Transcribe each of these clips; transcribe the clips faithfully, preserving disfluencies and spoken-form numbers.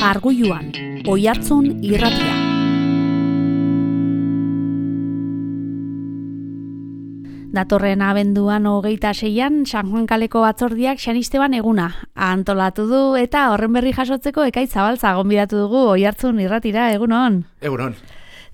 Arguluan, Oihartzun irratia. Datorren abenduan hogeita seian, San Juan kaleko batzordiak Xanisteban eguna antolatu du eta horren berri jasotzeko Ekaitz Zabaltza gonbidatu dugu Oihartzun irratira. Egunon. Egunon.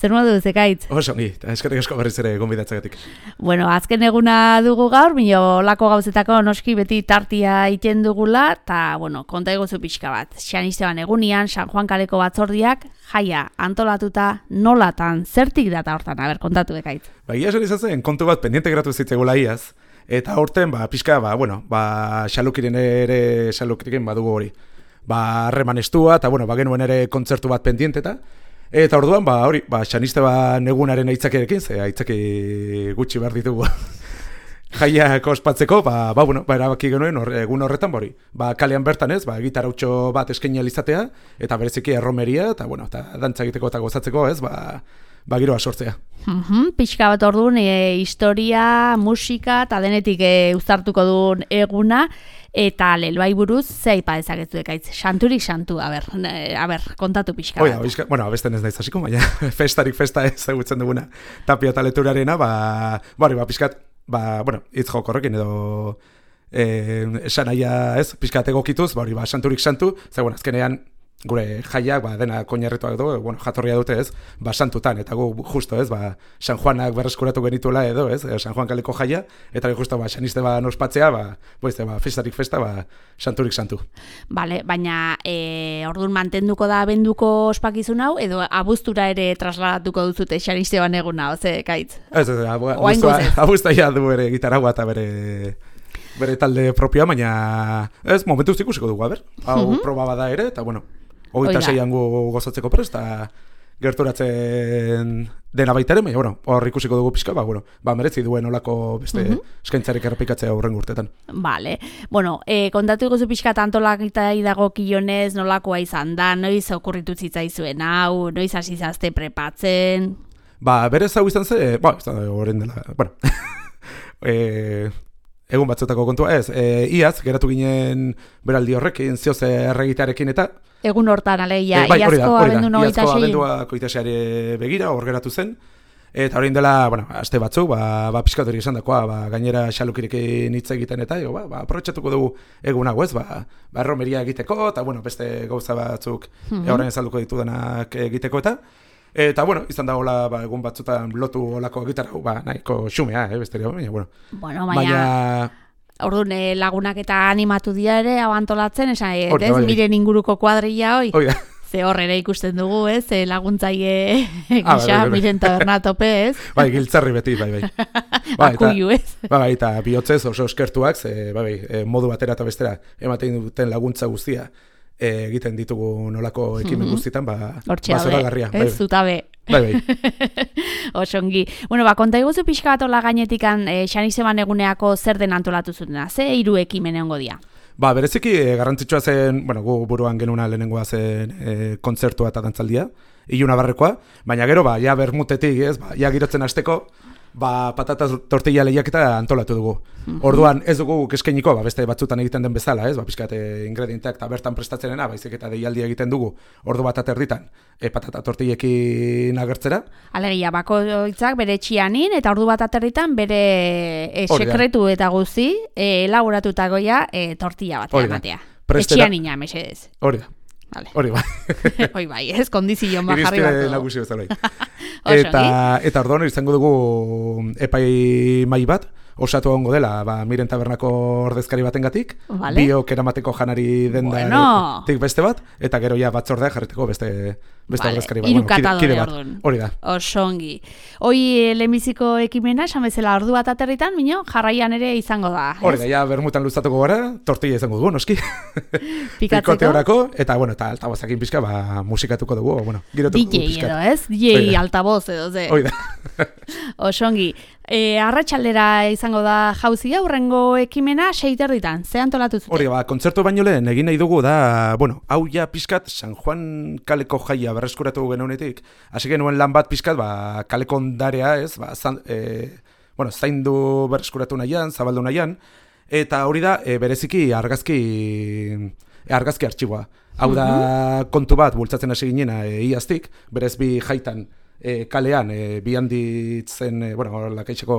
Zer modu duz, Ekaitz? Oso ongi, eta eskerrik asko berriz ere gonbidatzagatik. Bueno, azken eguna dugu gaur, mino lako gauzetako noski beti tartia iten dugula, eta, bueno, konta egozu pixka bat. Xanisteban egunian, San Juan kaleko batzordiak, jaia, antolatuta, nolatan, zertik data hortan, aber, kontatu Ekaitz. Ba, ia esan izazen, kontu bat pendiente geratu zitzegula iaz, eta horten, ba, pixka, ba, bueno, ba, xalukiren ere, xalukiren badugu hori. Ba, harreman estua, eta, bueno, ba, genuen ere kontzertu bat pendienteta, eta orduan, ba, hori, ba, Xanisteban egunaren aitzakiarekin, ze aitzaki gutxi behar ditugu jaiak ospatzeko, ba, ba, bueno, ba, erabaki genuen or, egun horretan, bori, ba, kalean bertan ez, ba, gitarautxo bat eskaini alizatea, eta bereziki erromeria, eta, bueno, eta dantza egiteko eta gozatzeko, ez, ba, ba giroa sortzea. Mm-hmm, pixka bat orduan, e, historia, musika, eta denetik e, uztartuko duen eguna, eta lelbai buruz, ze aipa dezakezu Ekaitz, santurik santu, a ber, a ber, kontatu pixka. Oia, bizka, bueno, abesten ez naiz hasiko, baina festarik festa ezagutzen duguna Tapia eta Leturarena, ba, bari, ba, pixkat, ba, bueno, hitz joko horrekin edo eh, esan aia, ez, pixkat egokituz, bari, ba, santurik santu, ze, bueno, azkenean, gure jaiak, ba, dena koinarrituak du, bueno, jatorria dute, ez, ba, santutan, eta gu justo, ez, ba, San Juanak berreskuratu genituela edo, ez, San Juan kaleko jaia, eta justo, ba, Xanisteban ospatzea, ba, boiz, ba, festarik festa, ba, santurik santu. Bale, baina, e, orduan mantenduko da abenduko ospakizun hau, edo abuztura ere trasladatuko duzute Xanisteban eguna, oze, Ekaitz? Ez, ez, abuztua ja du ere gitaragua eta bere... bere talde propioa, baina ez, momentuz ikusiko dugu, a ber, hau mm-hmm. proba bada ere, eta bueno, hogeita seian gu gozatzeko prest, eta gerturatzen dena baita ere, baina, bueno, hor ikusiko dugu pixka, ba, bueno, ba, meretzi duen olako beste mm-hmm. eskaintzarik errepikatzea horren urtetan. Vale, bueno, e, kontatu iguzu pixka tantolakita idago kilonez, nolakoa izan da, noiz okurritu zitzaizuen hau, noiz hasi zazte prepatzen? Ba, berez hau izan ze, ba, ez da, horren dela, bueno, e, egun batzutako kontua, ez, e, iaz, geratu ginen beraldi horrekin, zioz erregitearekin eta... Egun hortan, aleia, e, bai, iazko abendu nogeita iazko sei. abendua koitaseare begira, hor geratu zen, eta horrein dela, bueno, aste batzuk, ba, ba pixkatorik esan dakoa, ba, gainera xalukirekin hitz egiten eta, jo, ba, ba, aprobetxatuko dugu egun hau, ez, ba, ba, romeria egiteko, eta, bueno, beste gauza batzuk mm-hmm. horren ezalduko ditudanak egiteko eta, eta, bueno, izan da hola, ba, egun batzutan lotu olako gitarra, ba, nahiko xumea, eh, besteria, baina, bueno. Bueno, baina... baina... Orduan, lagunak eta animatu dira ere, hau antolatzen, esan, ez, bai, miren inguruko kuadrilla hoi. Oida. Ze horrera ikusten dugu, ez, ze laguntzaile gisa, ah, bai, bai, miren taberna tope, ez. Bai, giltzarri beti, bai, bai. Bai, Akuiu, ez. Bai, eta bihotzez oso eskertuak, ze, bai, bai, modu batera eta bestera ematen duten laguntza guztia, egiten ditugu nolako ekimen mm-hmm. guztietan, ba, bazoragarria. Ez, bai, zutabe. Bai, bai. Osongi. Bueno, ba, konta iguzu pixka bat hola gainetikan e, Xanisteban eguneako zer den antolatu zutena, ze hiru ekimen egongo dira? Ba, bereziki e, garrantzitsua zen, bueno, gu buruan genuna lehenengoa zen e, kontzertua eta dantzaldia, iluna barrekoa, baina gero, ba, ja bermutetik, ez, ba, ja girotzen hasteko, ba, patata tortilla lehiaketa antolatu dugu. Mm-hmm. Orduan ez dugu eskainiko, ba, beste batzutan egiten den bezala, ez, ba, pixkate ingredienteak eta bertan prestatzenena, baizik eta deialdia egiten dugu, ordu bat aterditan, e, patata tortillekin agertzera. Alegia, bakoitzak bere txianin, eta ordu bat aterditan bere e, sekretu eta guzti, e, elaboratutakoia e, tortilla bat ematea. Etxianina, mesedez. Hori da. Vale. Hori bai. Hoi bai, ez kondizio ma jarri bat. Irizpide nagusi bezala. Eta, eta orduan izango dugu epai mai bat, osatu egongo dela, ba, miren tabernako ordezkari batengatik, vale. Biok eramateko janari dendatik bueno. beste bat, eta gero ja batzordea jarreteko beste, beste vale. ordezkari bat. Irukatadore bueno, kide, kide orduan. Hori da. Osongi. Hoi lehenbiziko ekimena, esan bezala ordu bat aterritan, mino, jarraian ere izango da. Hori da, ja bermutan luztatuko gara, tortilla izango dugu, noski. Pikatzeko. Orako, eta, bueno, eta altabozakin pixka, ba, musikatuko dugu, bueno, girotuko D J edo, ez? D J altaboz edo, ze. Hoi da. Osongi. E, arratsaldera izango da jauzia, hurrengo ekimena seiterditan, ze antolatu zuten? Hori, ba, kontzertu baino lehen egin nahi dugu da, bueno, hau ja pixkat San Juan kaleko jaia berreskuratu genuenetik, hasi genuen lan bat pixkat, ba, kaleko ondarea, ez, ba, zan, e, bueno, zaindu berreskuratu nahian, zabaldu nahian, eta hori da, e, bereziki argazki, e, argazki artxiboa. Hau da kontu bat, bultzatzen hasi ginena e, iaztik, berez bi jaitan e, kalean, e, bi handitzen, e, bueno, lakaitxeko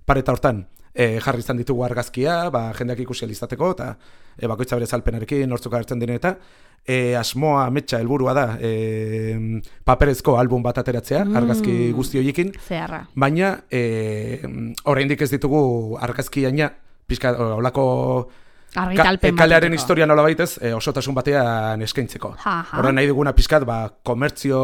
pareta hortan, e, jarri izan ditugu argazkia, ba, jendeak ikusi alizateko, eta e, bakoitza bere zalpenarekin, nortzuk agertzen diren eta, e, asmoa, ametsa, helburua da, e, paperezko album bat ateratzea, mm. argazki guzti horiekin, Zeharra. baina, e, oraindik ez ditugu argazki aina, pixka, olako, Argitalpen Ka, kalearen historia nola baitez, e, osotasun batean eskaintzeko. Horren nahi duguna pixkat, ba, komertzio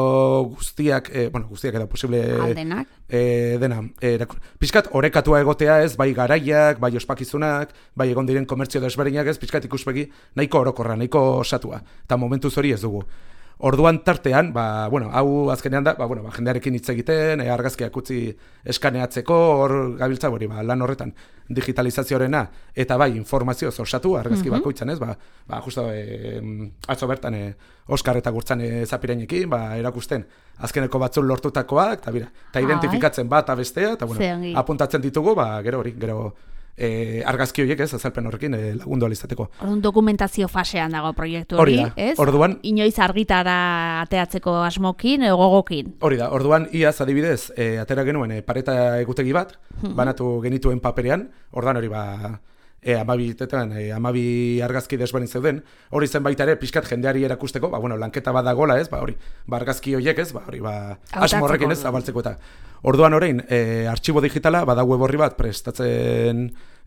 guztiak, e, bueno, guztiak edo posible... Aldenak. E, dena, e, pixkat orekatua egotea ez, bai garaiak, bai ospakizunak, bai egon diren komertzio desberdinak ez, pixkat ikuspegi nahiko orokorra, nahiko osatua. Eta momentuz hori ez dugu. Orduan tartean, ba, bueno, hau azkenean da, ba, bueno, ba, jendearekin hitz egiten, e, argazkiak utzi eskaneatzeko, hor gabiltza hori, ba, lan horretan digitalizazioarena, eta bai, informazioz osatu, argazki mm-hmm. bakoitzan ez, ba, ba justo, e, atzo bertan, e, Oskar eta Gurtzan e, zapireinekin, ba, erakusten, azkeneko batzun lortutakoak, eta bira, eta identifikatzen bat abestea, eta bueno, apuntatzen ditugu, ba, gero hori, gero, E, argazki horiek ez, azalpen horrekin e, lagundu alizateko. Orduan dokumentazio fasean dago proiektu hori, ez? Orduan, inoiz argitara ateatzeko asmokin edo gogokin. Hori da, orduan iaz adibidez, e, atera genuen e, pareta egutegi bat, banatu genituen paperean, orduan hori ba, e, amabi, tetan, e, amabi argazki desberdin zeuden, hori zen baita ere, pixkat jendeari erakusteko, ba, bueno, lanketa bat dagoela ez, ba, hori, ba, argazki horiek ez, ba, hori, ba, asmo horrekin ez, abaltzeko eta. Orduan orain, e, artxibo digitala, bada web horri bat prestatzen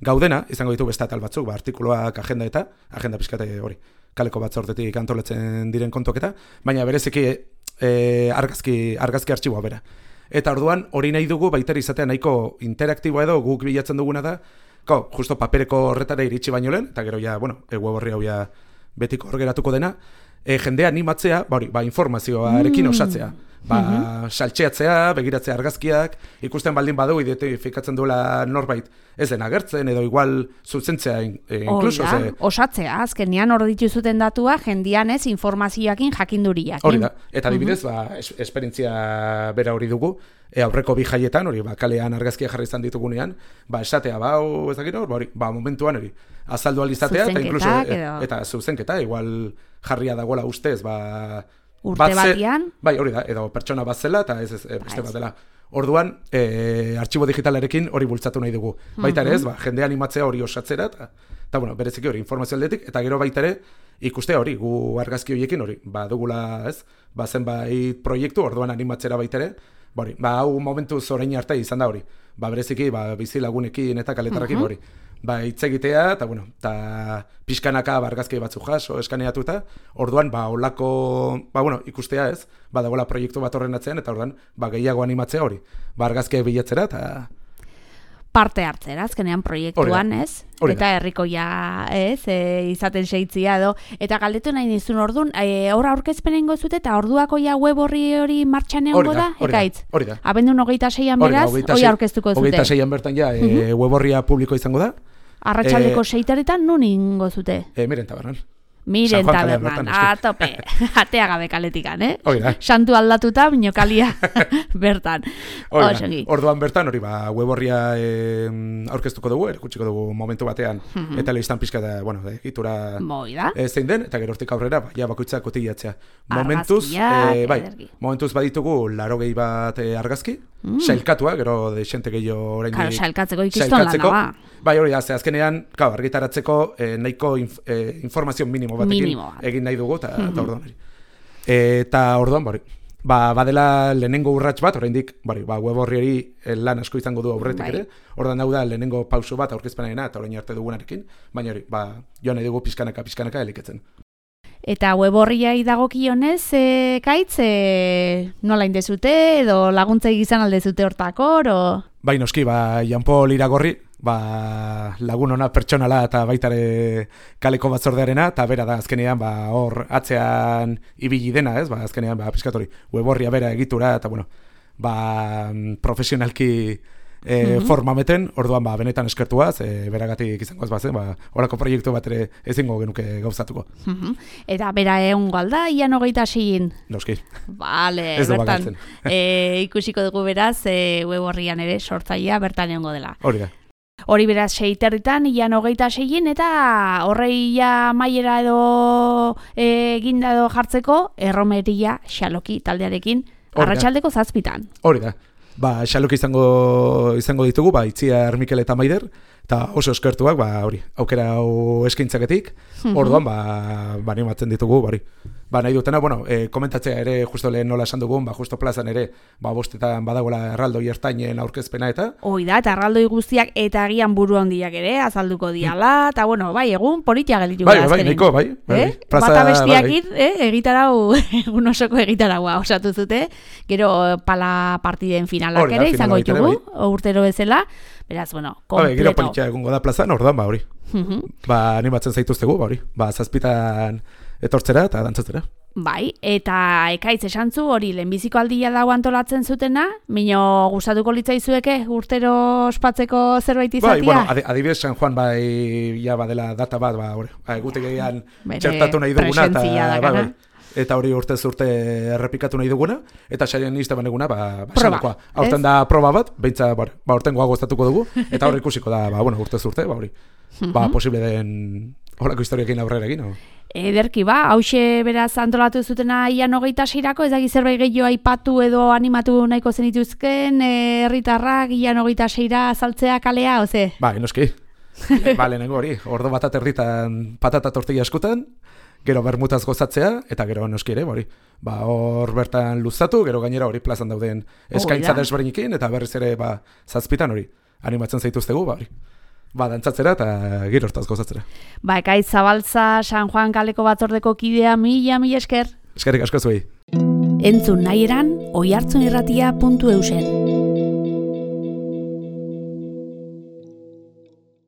gaudena, izango ditu beste atal batzuk, ba, artikuluak, agenda eta, agenda pixkate hori, kaleko batzordetik antolatzen diren kontoketa, baina bereziki e, argazki, argazki artxiboa bera. Eta orduan, hori nahi dugu, baita izatea nahiko interaktiboa edo guk bilatzen duguna da, ko, justo papereko horretara iritsi baino lehen, eta gero ja, bueno, e, web horri hau ja betiko hor geratuko dena, e, jendea animatzea, ba, hori, ba, informazioarekin mm. osatzea. Ba, mm-hmm. saltxeatzea, begiratzea argazkiak, ikusten baldin badu identifikatzen duela norbait ez den agertzen, edo igual zuzentzea e, inkluso. Ze... Osatzea, azkenean hor dituzuten datua, jendian ez informazioakin jakinduriak. Hori da, eta adibidez, mm-hmm. ba, es, esperientzia bera hori dugu, e, aurreko bi jaietan, hori, ba, kalean argazkia jarri izan ditugunean, ba, esatea, ba, hau, ez dakit hor, ba, hori, ba, momentuan hori, azaldu alizatea, eta inkluso, e, eta zuzenketa, igual jarria dagoela ustez, ba, urte batian. Bai, hori da, edo pertsona bat zela, eta ez, ez, beste bat dela. Orduan, e, artxibo digitalarekin hori bultzatu nahi dugu. Baita ere ez, ba, jende animatzea hori osatzera, eta, eta bueno, bereziki hori informazio aldetik, eta gero baita ere, ikustea hori, gu argazki horiekin hori, ba, dugula ez, ba, zenbait proiektu, orduan animatzera baita ere, ba, hori, ba, hau momentu zorein arte izan da hori, ba, bereziki, ba, bizilagunekin eta kaletarrakin hori. Ba, hitz egitea, eta, bueno, eta pixkanaka argazki batzu jaso, eskaneatuta, orduan, ba, olako, ba, bueno, ikustea ez, ba, dagoela proiektu bat horren atzean, eta orduan, ba, gehiago animatzea hori, ba, argazkiak bilatzera, eta... Parte hartzera, azkenean proiektuan, ez? Eta herrikoia, ez, e, izaten seitzia edo, eta galdetu nahi nizun orduan, e, hor aurkezpen egingo zute, eta orduako ja web horri hori martxan egongo da, ekaitz? Hori da. Abendun hogeita seian beraz, hori aurkeztuko zute. Hogeita seian bertan ja, e, uh-huh. web horria publiko izango da. Arratsaldeko e, seitaretan nun ingo zute? E, miren tabernan. Miren tabernan, a tope, atea gabe kaletikan, eh? Oida. Santu aldatuta, binokalia bertan. Oida, orduan bertan, hori ba, web horria e, aurkeztuko dugu, erakutsiko dugu momentu batean, mm-hmm. eta lehiztan pixka da, bueno, da, egitura e, zein den, eta gero hortik aurrera, ba, ja, bakoitza kotillatzea. Momentuz, e, bai, momentuz baditugu larogei bat e, argazki, mm. sailkatua, gero de xente gehiago orain Claro, sailkatzeko ikiston lan da, ba. Bai, hori, ze azkenean, kau, argitaratzeko eh, nahiko inf, eh, informazio minimo batekin minimo. egin nahi dugu, eta mm-hmm. orduan hori. Eta orduan, bari, ba, badela lehenengo urrats bat, oraindik, bari, ba, web horri hori lan asko izango du aurretik bai. ere, orduan hau da lehenengo pauso bat aurkezpenarena, eta orain arte dugunarekin, baina hori, ba, joan nahi dugu pizkanaka, pizkanaka eliketzen. Eta web horriai dagokionez, e, kaitz, e, nola indezute, edo laguntza egizan aldezute hortakor, o... Bai, noski, ba, Janpol Iragorri, ba, lagun ona pertsonala eta baitare kaleko batzordearena, eta bera da azkenean, ba, hor atzean ibili dena, ez, ba, azkenean, ba, piskatori, web horria bera egitura, eta, bueno, ba, profesionalki e, mm-hmm. formameten, orduan, ba, benetan eskertuaz, e, beragatik izango ez bazen, ba, horako proiektu bat ere ezingo genuke gauzatuko. Mm-hmm. Eta bera egon galda, ian hogeita sein? Noski. Vale, bertan, e, ikusiko dugu beraz, e, web horrian ere sortzaia bertan egongo dela. Hori da. Hori beraz seiterritan, ian hogeita seien, eta horreia maiera edo eginda edo jartzeko, erromeria xaloki taldearekin, arratsaldeko zazpitan. Hori da. Ba, xaloki izango, izango ditugu, ba, Itziar, Mikel eta Maider, eta oso eskertuak, ba, hori, aukera hau eskaintzaketik, orduan, ba, ba, animatzen ditugu, hori. Ba, nahi dutena, bueno, e, komentatzea ere, justo lehen nola esan dugun, ba, justo plazan ere, ba, bostetan badagoela erraldoi ertainen aurkezpena eta... Hoi da, eta erraldoi guztiak eta agian buru handiak ere, azalduko diala, eta, bueno, bai, egun politia gelitu bai, bai, niko, bai, bai, eh? plaza, bata bestiakit, bai, eh? egitarau, egun osoko egitaraua osatu zute, gero pala partiden finalak hori da, ere, izango finala ditugu, bai. urtero bezala, beraz, bueno, kompleto. Bai, gero politia egungo da plazan, orduan, ba, hori. Ba, animatzen zaituztegu, ba, hori. Ba, zazpitan etortzera eta dantzatzera. Bai, eta ekaitz esantzu hori lehenbiziko aldia dago antolatzen zutena, mino gustatuko litzaizueke urtero ospatzeko zerbait izatea? Bai, bueno, adi, adibidez San Juan bai, ja badela data bat, ba, hori, ba, egutegian txertatu nahi duguna, eta, bai, bai, eta hori urtez urte errepikatu nahi duguna, eta saien izteban eguna, ba, ba proba, aurten da proba bat, beintza, ba, aurten goa goztatuko dugu, eta hori ikusiko da, ba, bueno, urtez urte, ba, hori, ba, posible den horako historiakin aurrera egin, no? Ederki ba, hause beraz antolatu zutena ian hogeita seirako, ez daki zerbait gehiago aipatu edo animatu nahiko zenituzken, herritarrak ian hogeita seira azaltzea kalea, oze? Ba, enoski. Ba, lehenengo hori, ordo batat herritan patata tortilla eskutan, gero bermutaz gozatzea, eta gero noski ere, hori. Ba, hor bertan luzatu, gero gainera hori plazan dauden eskaintza desberdinekin, eta berriz ere, ba, zazpitan hori, animatzen zaituztegu, ba, hori. Ba, dantzatzera eta gero hortaz gozatzera. Ba, Ekaitz Zabaltza, San Juan kaleko batzordeko kidea, mila, mila esker. Eskerrik asko zuei. Entzun nahi eran, oihartzunirratia puntu eusen.